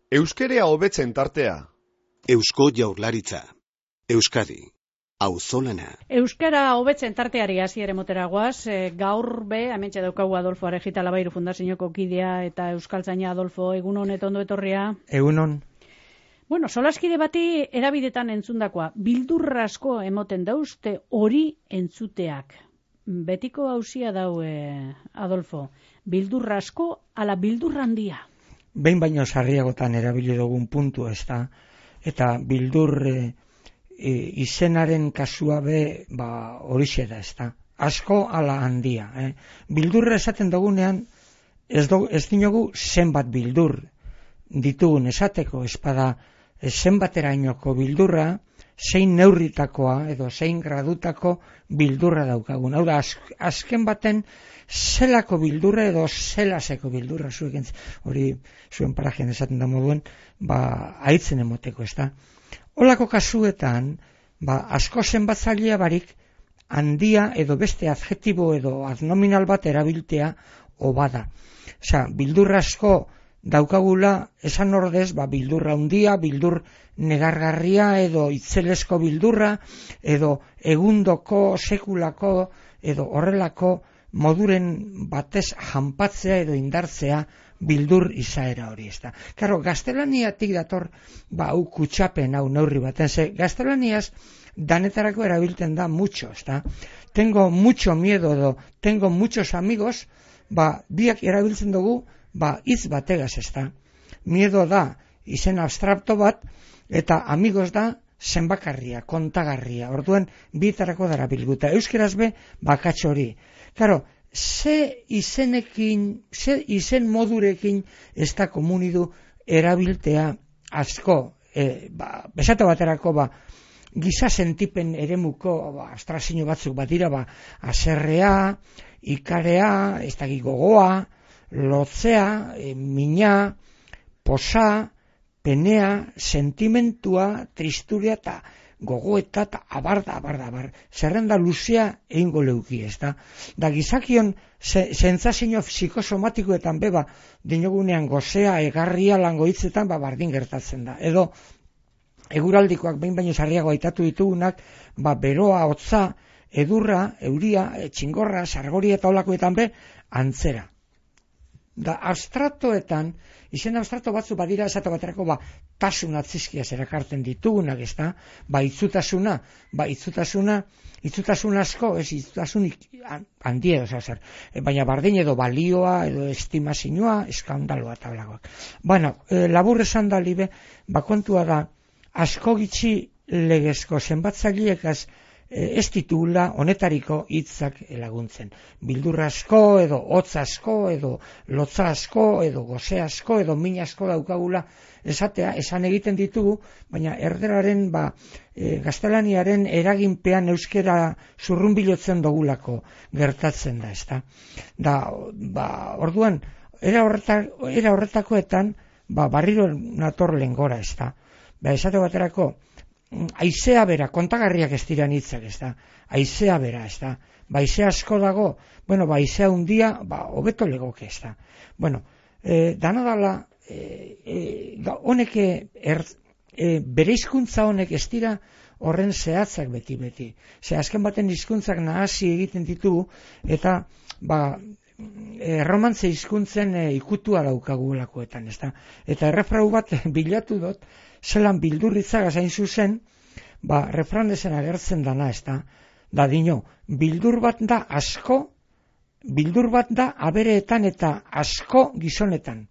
Euskerea hobetzen tartea. Eusko Jaurlaritza. Euskadi. Auzolana. Euskara hobetzen tarteari hasiere motera goaz, gaur hementxe daukagu Adolfo Arejita Labairu Fundazioko kidea eta euskaltzaina. Adolfo, egunon eta ondo etorria. Egunon. Bueno, solaskide bati erabidetan entzundakoa, bildurra asko emoten dauzte hori entzuteak. Betiko hauzia daue, Adolfo, bildurra asko ala bildurra handia? Behin baino sarriagotan erabili dugun puntu ez da, eta bildur izenaren kasua horixe da ez da. Asko ala handia. Bildurra esaten dugunean ez dinogu zenbat bildur ditugun esateko, espada zenbaterainoko bildurra, zein neurritakoa edo zein gradutako bildurra daukagun. Hau da, azken baten zelako bildurra edo zelaseko bildurra hori zuen parajean esaten da moduen, haitzen emoteko, ez da. Olako kasuetan, asko zenbatzailea barik handia edo beste adjetibo edo adnominal bat erabiltea obada. Osea, bildurra asko daukagula esan ordez, bildurra handia, bildur negargarria edo itzelesko bildurra edo egundoko, sekulako edo horrelako moduren batez janpatzea edo indartzea bildur izaera hori, ez da. Karo, gaztelaniatik dator, hau kutsapen, hau neurri baten, gaztelaniaz danetarako erabilten da mucho, ez da. Tengo mucho miedo edo tengo muchos amigos, biak erabiltzen dugu, hitz bategaz, ez da. Miedo da izen abstrakto bat, eta amigos da zenbakarria, kontagarria. Orduan, bietarako dara bilguta. Euskeraz bakatxo hori. Karo, ze izen modurekin ez da komunidu erabiltea asko, besate baterako, giza sentipen eremuko abstrazio batzuk dira, aserrea, ikarea, ez da gogoa, lotzea, mina, posa, penea, sentimentua, tristuria eta gogoeta eta abar. Zerrenda luzea egingo leuki, ez da. Da gizakion sentsazio psikosomatikoetan dinogunean gozea, egarria, lango hitzetan, bardin gertatzen da. Edo, eguraldikoak behin baino sarriago aitatu ditugunak, beroa, hotza, edurra, euria, txingorra, sargoria eta olakoetan antzera. Da abstraktoetan, izen abstrakto batzu badira esate baterako tasun atzizkiaz erakartzen ditugunak, ez da, itzutasun asko, ez itzutasunik handia edo zer, baina bardin edo balioa, edo estimazioa, eskandaloa eta blagoak. Labur esan da libe, kontua da, asko gitxi legezko zenbatzaileekaz ez ditugula honetariko hitzak laguntzen. Bildur asko, edo hotz asko, edo lotza asko, edo goze asko, edo min asko daukagula esatea, esan egiten ditugu, baina erderaren, gaztelaniaren eraginpean euskera zurrunbilotzen dugulako gertatzen da, ezta. Orduan, era horretakoetan, barriro nator lengora, ezta. Esate baterako, aizea bera, kontagarriak ez diran hitzak, ez da. Aizea bera, ez da. Aizea asko dago, aizea hundia, hobeto legoke, ez da. Dana dala, honek, bere hizkuntza honek ez dira horren zehatzak beti. Azken baten hizkuntzak nahasi egiten ditugu, eta, erromantze hizkuntzen ikutua daukagulakoetan, ez da. Eta errefrau bat bilatu dut, zelan bildurritzagaz hain zuzen, refranezen agertzen dana, ez da. Da dino, bildur bat da asko, bildur bat da abereetan eta asko gizonetan.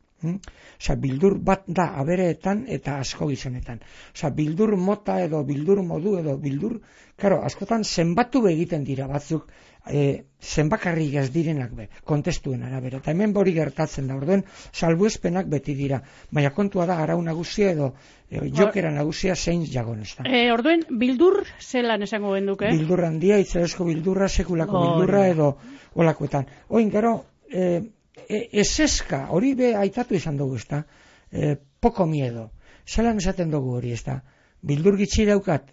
Bildur bat da abereetan eta asko gizonetan. Bildur mota edo bildur modu edo bildur, askotan zenbatu egiten dira batzuk, zenbakarrik ez direnak kontestuen arabera. Eta hemen hori gertatzen da, orduen salbuespenak beti dira. Baina kontua da arau nagusia edo jokera nagusia zein jagon, ez da. Orduen, bildur zelan esango genduke? Bildur handia, itzelesko bildurra, sekulako bildurra edo olakoetan. Oin, gero, eseska, hori aitatu izan dugu, ez da. Poko miedo. Zelan esaten dugu hori, ez da. bildur gitxi daukat,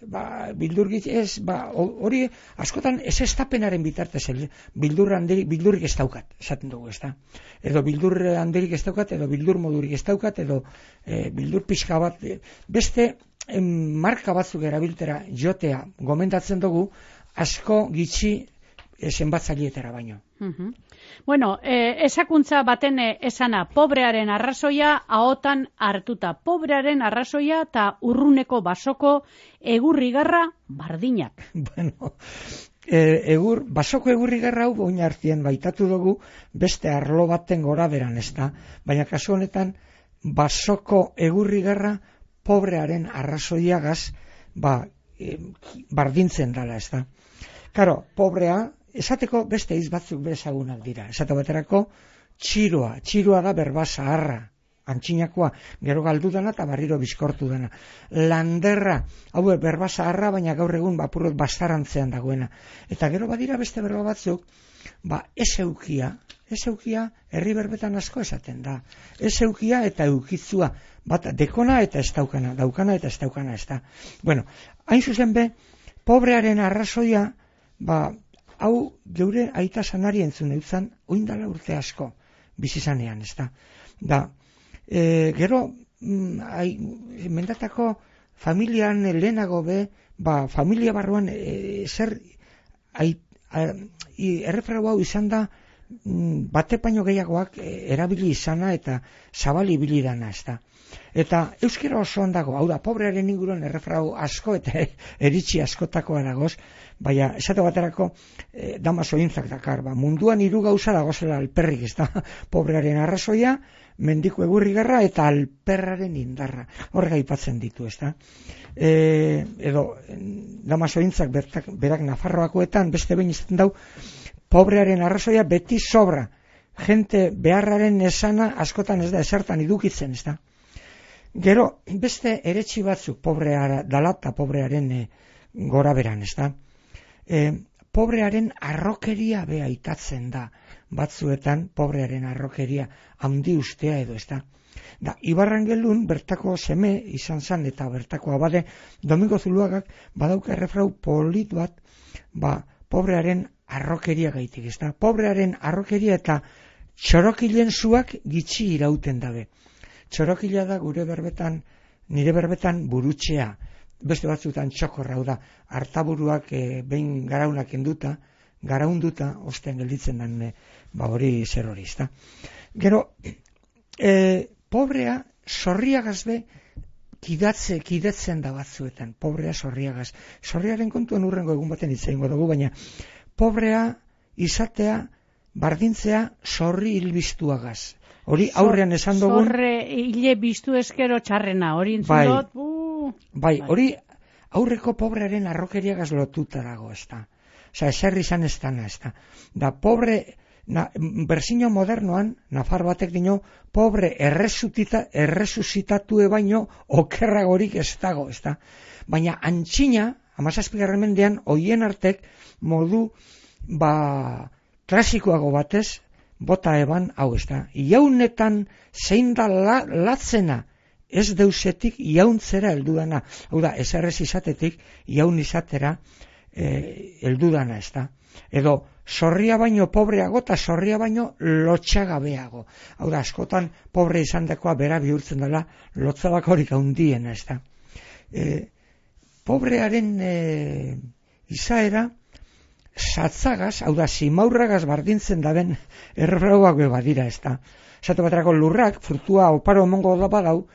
bildur gitxi ez, hori askotan ez estapenaren bitartez, bildurrik ez daukat, esaten dugu, ez da. Edo bildur handirik ez daukat, edo bildur modurik ez daukat, edo bildur pixka bat, beste marka batzuk erabiltera jotea gomendatzen dugu, asko gitxi zenbatzaileetara baino. Bueno, esakuntza baten esana, pobrearen arrazoia ahotan hartuta. Pobrearen arrazoia eta urruneko basoko egurrigarra bardinak. Bueno, basoko egurrigarra hau oin hartien baitatu dugu beste arlo baten gora beran, ez da. Baina kasu honetan, basoko egurrigarra pobrearen arrazoiagaz bardintzen dala, ez da. Karo, pobrea, esateko beste hitz batzuk bezagunak dira. Esate baterako, txiroa da berba zaharra, antxinakoa, gero galdu dana eta barriro bizkortu dana. Landerra, hau berba zaharra, baina gaur egun bapurrot bastarantzean dagoena. Eta gero badira beste berba batzuk, ezeukia herri berbetan asko esaten da. Ezeukia eta eukitzua, bat dekona eta ez daukana, daukana eta ez daukana, ez da. Bueno, hain zuzen be, pobrearen arrazoia, hau geure aita sanari entzun eutzan, oindala urte asko bizizanean, ez da. Gero, mendatako familian lehenago be, familia barruan erreferau hau izan da, bate paino gehiagoak erabili izana eta zabali bilidana, ez da. Eta euskera oso ondago, hau da, pobrearen inguruan erreferau asko eta eritzi askotakoa dagoz, baina esate baterako Damaso Intzak dakar, munduan 3 gauza dagozela alperrik, ez da, pobrearen arrazoia, mendiko egurrigarra eta alperraren indarra, horrega aipatzen ditu, ez da. Edo Damaso Intzak berak Nafarroakoetan beste behin izaten dau, pobrearen arrazoia beti sobra, jente beharraren esana askotan ez da esertan idukitzen, ez da. Gero, beste eretsi batzuk pobrea dala eta pobrearen gora beran, ez da. Pobrearen arrokeria be aitatzen da, batzuetan pobrearen arrokeria handi ustea edo, ez da. Ibarrangelun bertako seme izan zan eta bertako abade Domingo Zuluagak badauka errefrau polit bat, pobrearen arrokeria gaitik, ez da. Pobrearen arrokeria eta txorokilen zuak gitxi irauten dabe. Txorokila da nire berbetan burutxea, beste batzutan txokorra, da, hartaburuak behin garaunak garaunduta, ostean gelditzen den hori zer hori, ezta. Gero, pobrea sorriagaz be kidetzen da batzuetan, pobrea sorriagaz. Sorriaren kontuan urrengo egun baten hitz egingo dugu, baina pobrea izatea, bardintzea sorri hilbiztuagaz. Hori aurrean esan dugun... Zorre hile biztu eskero txarrena, hori entzun dut... Hori aurreko pobrearen arrokeriagaz lotuta dago, ez da. Osa, eserri izan ez dana, ez da. Da, pobre, berzino modernoan, Nafar batek dino, pobre erresuzitatue baino okerragorik ez dago, ez da. Baina antxina, 17. mendean, hoien artek modu, klasikoago batez, bota eban, hau ez da, iaunetan zein da latzena, ez deusetik iauntzera heldudana, hau da, ez errez izatetik iaun izatera heldudana, ez da. Edo, sorria baino pobreago eta sorria baino lotxagabeago. Hau da, askotan pobre izan dakoa bera bihurtzen dela lotzabakorik handiena, ez da. Pobrearen izaera, satzagaz, hau da, simaurragaz bardintzen daben errefrauak badira, ez da. Esate baterako lurrak, frutua oparo emongo da badau,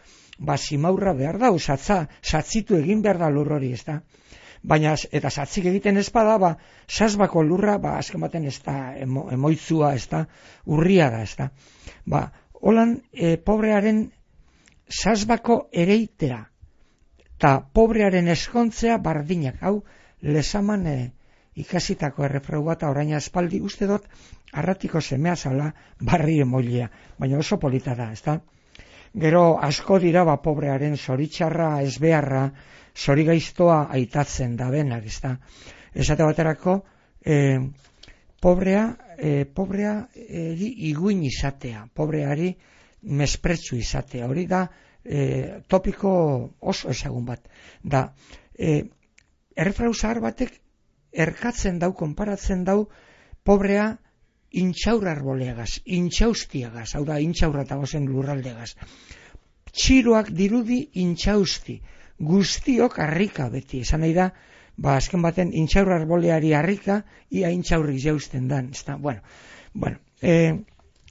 simaurra behar dau, satzitu egin behar da lur hori, ez da. Baina, eta satzik egiten ez bada, sasbako lurra, azken baten ez da, emoitzua, ez da, urria da, ez da. Holan, pobrearen sasbako ereitea, eta pobrearen eskontzea bardinak, hau, lezaman ikasitako errefrau bat orain aspaldi uste dut arratiko semea zala barri emoilea, baina oso polita da, ezta? Gero asko dira pobrearen zoritxarra, ezbeharra, zorigaiztoa aitatzen da benak, ezta? Esate baterako, pobrea iguin izatea, pobreari mespretsu izatea, hori da topiko oso ezagun bat. Da, errefrau zahar batek erkatzen dau, konparatzen dau, pobrea intxaur arboleagaz, intxaustiagaz, hau da, intxaurra eta gozen lurraldeagaz. Txiroak dirudi intxausti, guztiok harrika beti, esan nahi da, azken baten intxaur arboleari harrika, ia intxaurrik jausten dan, ez da, bueno,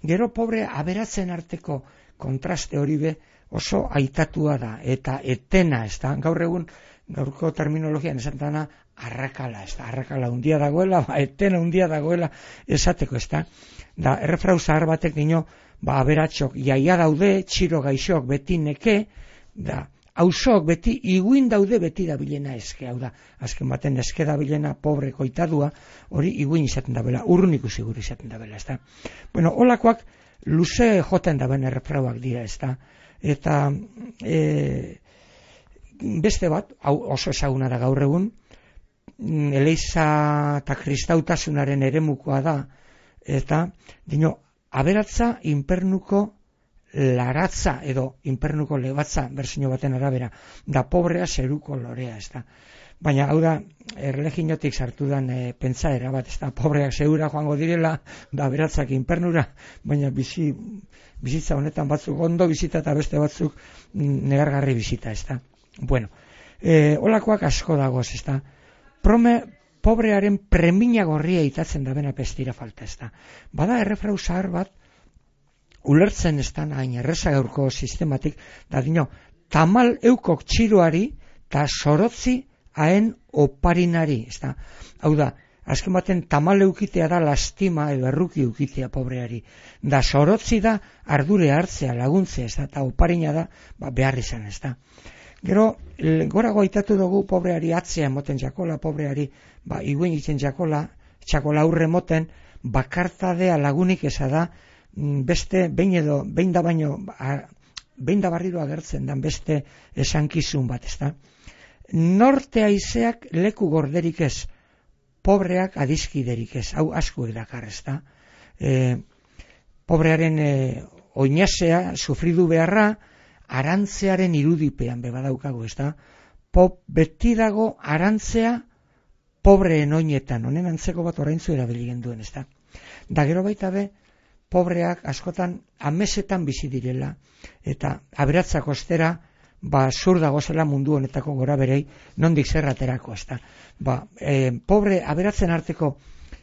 gero pobre aberatzen arteko kontraste hori be oso aitatua da, eta etena, ez da, gaur egun, gaurko terminologian esan dana, arrakala, ez da, arrakala undia dagoela, etena undia dagoela esateko, ez da, da, errefrau zahar batek dino, aberatxok jaia daude, txiro gaixok beti neke, da, hausok beti iguin daude beti dabilena eske, hau da, azken baten eske dabilena pobre koitadua, hori iguin izaten dabela, urrun ikusi guri izaten dabela, ez da. Bueno, holakoak luze joten daben errefrauak dira, ez da, eta beste bat, hau oso ezaguna da gaur egun, Eliza eta kristautasunaren eremukoa da, eta, dino, aberatza inpernuko laratza edo inpernuko lebatza bersino baten arabera, da pobrea zeruko lorea, ez da. Baina, hau da, erleginotik sartu dan pentsaera bat, ez da, pobreak zeura joango direla, da aberatzak inpernura, baina bizitza honetan batzuk ondo bizita eta beste batzuk negargarri bizita, ez da. Bueno, holakoak asko dagoz, ez da. Pobrearen premina gorria itatzen da bena pestira falta, ez da. Bada errefrau zahar bat, ulertzen ez da, hain erreza gaurko sistematik, da dino, tamal eukok txiroari, eta sorotzi haen oparinari, ez da. Hau da, azken baten tamal eukitea da lastima edo erruki eukitea pobreari. Da sorotzi da ardure hartzea, laguntzea, ez da, eta oparina da, behar izan, ez da. Gero, gorago aitatu dugu pobreari atzea moten jakola, pobreari iguen itzen jakola, txakola aurre moten, bakartadea lagunik eza da, beste, behin da barriro agertzen dan beste esankizun bat, ez da. Norte haizeak leku gorderik ez, pobreak adizkiderik ez, hau asko edakar, ez da. Pobrearen oinasea, sufridu beharra, arantzearen irudipean bebadaukagu, ez da. Beti dago arantzea pobreen oinetan, honen antzeko bat oraintzu erabiligen duen, ez da. Da gero baita be, pobreak askotan amesetan bizi direla, eta aberatzak ostera, zur dagozela mundu honetako gora berei, nondik zerraterako, ez da. Pobre aberatzen arteko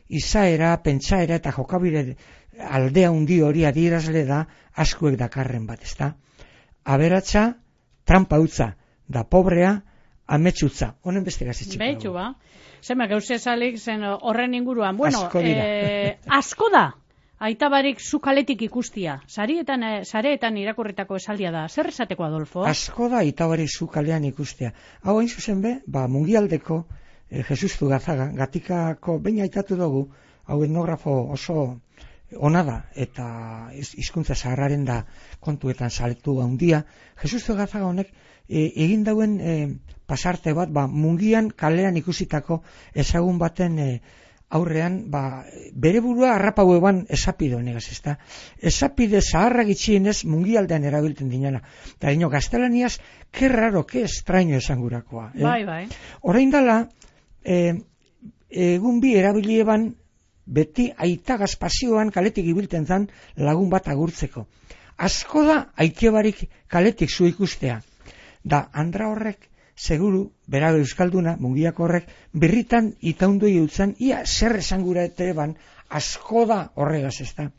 izaera, pentsaera eta jokabide aldea hundi hori adierazle da askuek dakarren bat, ez da. Aberatza, trampa utza, da pobrea, ametsutza. Honen beste gazitxik. Behitu ba. Zema, gauze salik zen horren inguruan. Bueno, asko da. Aitabarik zukaletik ikustia. Sareetan irakurritako esaldia da. Zer esateko, Adolfo? Asko da aitabarik zukalean ikustia. Hau hain zuzen be, mundialdeko Jesus Zugazaga, Gatikako behin aitatu dugu, hau etnografo oso ona da, eta hizkuntza zaharraren da kontuetan saletu handia. Jesus Zugazaga honek egin dauen pasarte bat, mungian kalean ikusitako ezagun baten aurrean, bere burua harrapau eban esapide honegaz, ez da. Esapide zaharrak itxienez mungialdean erabiltzen dinana. Eta dino, gaztelaniaz, que raro, que extraño esangurakoa. Bai. Orain dala, egun bi erabili eban, beti aitagaz pasioan kaletik ibilten zan lagun bat agurtzeko. Asko da aitebarik kaletik zu ikustea. Da, andra horrek, seguru, bera euskalduna, mungiako horrek, birritan itaundu eutzen, ia zer esangura eban, asko da horregaz, ez da.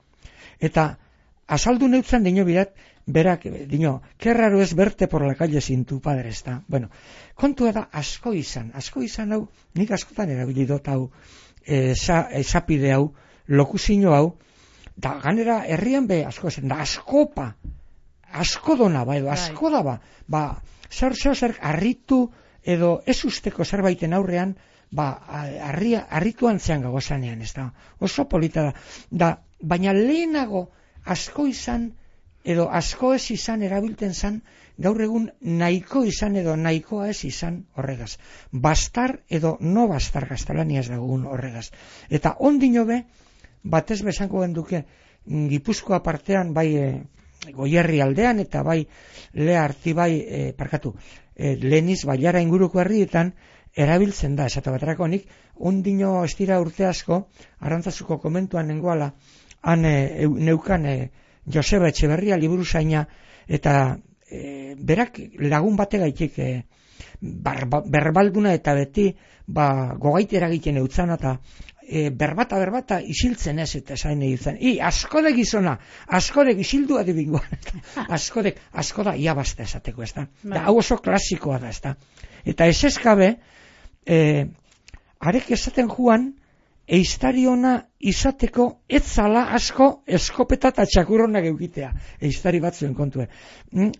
Eta, azaldu neutzen dino bidat, berak, dino, que raro es verte por la calle sin tu padre, ez da. Bueno, kontua da asko izan hau, nik askotan erabilidot hau, esapide hau, lokuzino hau, da ganera herrian be asko zen, da askopa, asko dona, edo asko da, zer harritu edo ez usteko zerbaiten aurrean, harrituan zean gagozanean, ez da, oso polita da, baina lehenago asko izan, edo asko ez izan erabilten zan, gaur egun nahiko izan edo nahikoa ez izan horregaz. Bastar edo no bastar gaztelaniaz dagoen horregaz. Eta ondino be, batez bezanko genduke, Gipuzkoa partean, Goierri aldean eta bai Lea Artibai, Leniz Bailara inguruko herrietan erabiltzen da, esate baterako nik, ondino estira urte asko, Arantzazuko komentuan nengoala, han neukan Joseba Etxeberria liburuzaina, eta berak lagun bategaitik berbalduna eta beti gogaitera egiten eutzan, eta berbata isiltzen ez, eta esain egiten, askode gizona, askode isildu adibingoan, asko da iabazta esateko, ez da. Hau oso klasikoa da, ez da. Eta ez eskabe, arek esaten juan, eiztariona izateko etzala asko eskopeta eta txakurronak eukitea, eiztari batzuen kontue.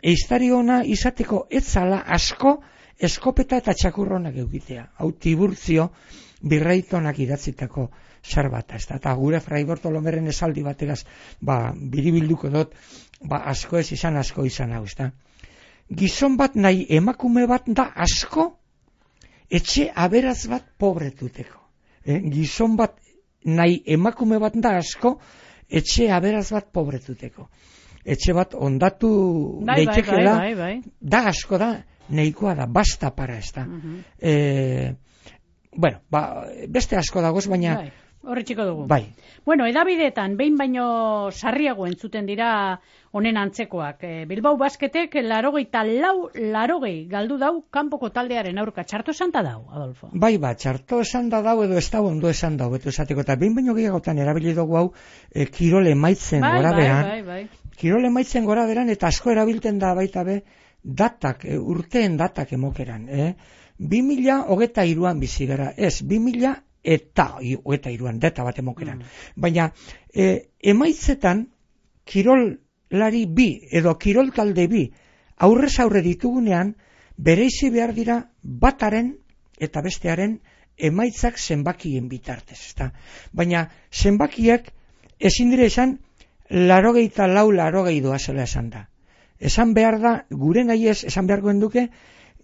Eiztariona izateko etzala asko eskopeta eta txakurronak eukitea. Hau Tiburtzio Birraitonak idatzitako zerbait, ez da. Eta gure Fray Bartolomeren esaldi bategaz, biribilduko dut, asko ez izan, asko izan hau, ez da. Gizon bat nahi emakume bat da asko, etxe aberaz bat pobretuteko. Gizon bat nahi emakume bat da asko, etxe aberaz bat pobretuteko. Etxe bat ondatu leitekela, da asko da, nahikoa da, basta para ez da. Beste asko dagoz, baina... Horretxiko dugu. Bai. Bueno, edabideetan, behin baino sarriago entzuten dira honen antzekoak. Bilbao Basketek 84-80 galdu dau kanpoko taldearen aurka. Txarto esan da dau, Adolfo? Bai, txarto esan da dau edo ez da ondo esan dau, betu esateko. Eta behin baino gehiagotan erabili dugu hau kirole maitzen gora beran. Kirole maitzen gora beran eta asko erabilten da baita be datak, urteen datak emokeran. 2023an bizi gara, ez, 2000 eta 23an, data bat emokeran. Baina, emaitzetan, kirolari bi, edo kirol talde bi, aurrez aurre ditugunean, bereizi behar dira bataren eta bestearen emaitzak zenbakien bitartez. Ezta? Baina, zenbakiak ezin dire esan, 84 doazela esan da. Esan behar da, gure nahi ez, esan behar goen duke,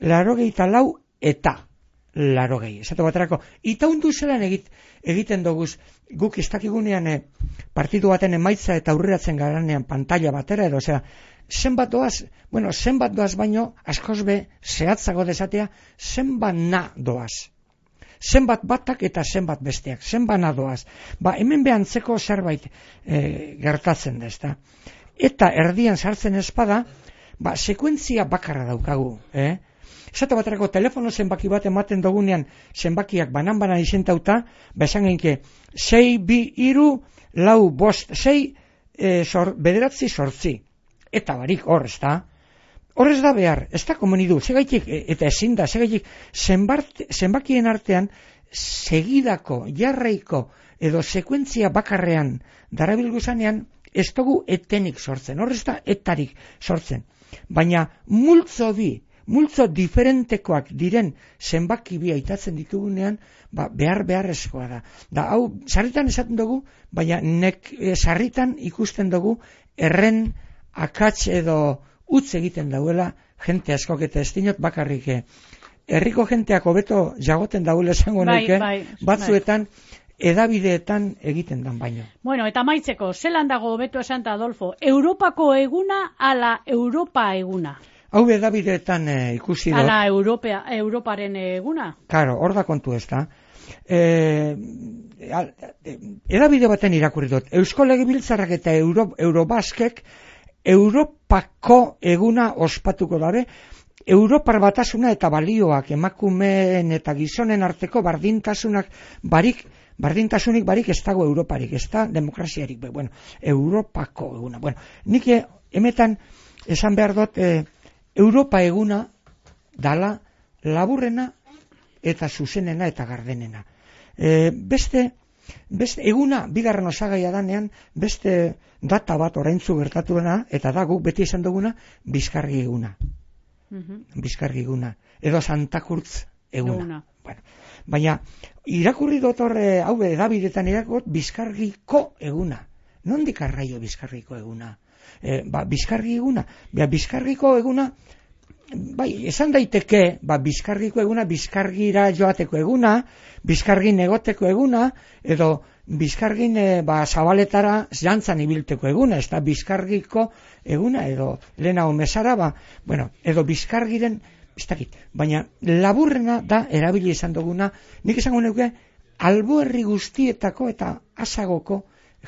84 eta 80. Esatu baterako, itaundu zelan egiten doguz, guk ez dakigunean partidu baten emaitza eta aurreratzen garanean pantalla batera, edo, zenbat doaz baino, askoz be, zehatzago desatea, zenbat na doaz. Zenbat batak eta zenbat besteak, zenbat na doaz. Hemen behantzeko zerbait gertatzen da, ezta. Eta erdian sartzen espada, sekuentzia bakarra daukagu, Esate baterako telefono zenbaki bat ematen dugunean zenbakiak banan-banan izentauta, esan genke 6, 2, 3, 4, 5, 6, 9, 8. Eta barik hor, ez da? Hor ez da behar, ez da komenidu, segaitik, eta ezin da, segaitik, zenbakien artean, segidako, jarraiko, edo sekuentzia bakarrean darabilguzanean, ez dugu etenik sortzen, hor ez da etarik sortzen. Baina multzo diferentekoak diren zenbaki bi aitatzen ditugunean, beharrezkoa da. Da, hau, sarritan esaten dugu, baina sarritan ikusten dugu erren akats edo utz egiten dauela jente askok eta ez dinot bakarrik. Herriko jenteak hobeto jagoten dauela esango naike, batzuetan edabideetan egiten dan baino. Bueno, eta maitzeko, zelan dago hobeto esan da, Adolfo, Europako eguna ala Europa eguna? Hau edabideetan ikusi dut. Ala Europaren eguna? Karo, hor da kontu ez da. Edabide baten irakurri dut. Eusko Legebiltzarrak eta Eurobaskek Europako eguna ospatuko dabe, Europar batasuna eta balioak emakumeen eta gizonen arteko bardintasunik barik ez dago Europarik, ez da demokraziarik. Bueno, Europako eguna. Bueno, nik emetan esan behar dut Europa eguna dala laburrena eta zuzenena eta gardenena. Beste eguna, bigarren osagaia danean, beste data bat oraintzu gertatuena, eta da guk beti esan duguna, Bizkargi eguna. Bizkargi eguna. Edo Santakurtz eguna. Bueno, baina, irakurri dut horre, hau edabidetan irakurri Bizkargiko eguna. Nondik arraio Bizkargiko eguna? Bizkargi eguna. Bizkargiko eguna, bai, esan daiteke, Bizkargiko eguna, Bizkargira joateko eguna, Bizkargin egoteko eguna, edo Bizkargin zabaletara jantzan ibilteko eguna, ez da Bizkargiko eguna, edo lehenago mesara, edo Bizkargiren, ez dakit, baina laburrena da erabili izan duguna, nik esango nuke, alboherri guztietako eta asagoko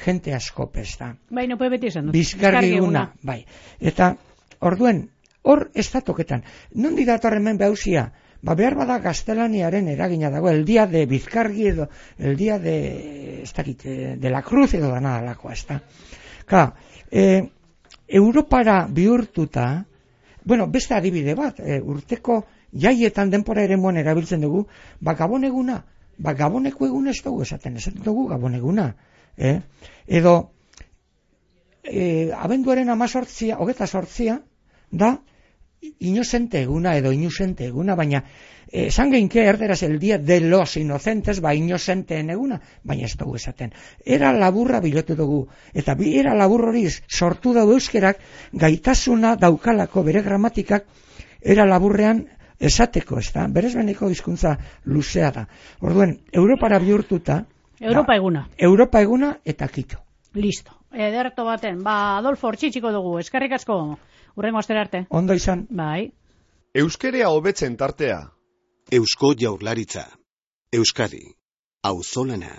jente askope, ez da. Baina, beti esan dut. Bizkargi eguna, bai. Eta, orduen, hor ez da toketan. Nondi dator hemen behausia? Behar bada gaztelaniaren eragina dago, el dia de Bizkargi edo, el dia de, ez dakit, de la Cruz edo dana alakoa, ez da. Europara bihurtuta, beste adibide bat, urteko jaietan denpora ere moan erabiltzen dugu, Gabon eguna, Gaboneko eguna ez dugu esaten dugu Gabon eguna. Edo, abenduaren 28 da, inocente eguna edo inocente eguna, baina esan geinke erderaz el día de los inocentes, inocenteen eguna, baina ez dugu esaten. Era laburra bilotu dugu, eta era labur hori sortu dugu euskerak gaitasuna daukalako bere gramatikak era laburrean esateko, ez da? Berez beneko hizkuntza luzea da. Orduen, Europara bihurtuta, Europa eguna eta kito. Listo. Ederto baten. Adolfo, hortxitxiko dugu. Eskerrik asko. Urrengo astera arte. Ondo izan. Bai. Euskerea hobetzen tartea. Eusko Jaurlaritza. Euskadi. Auzolana.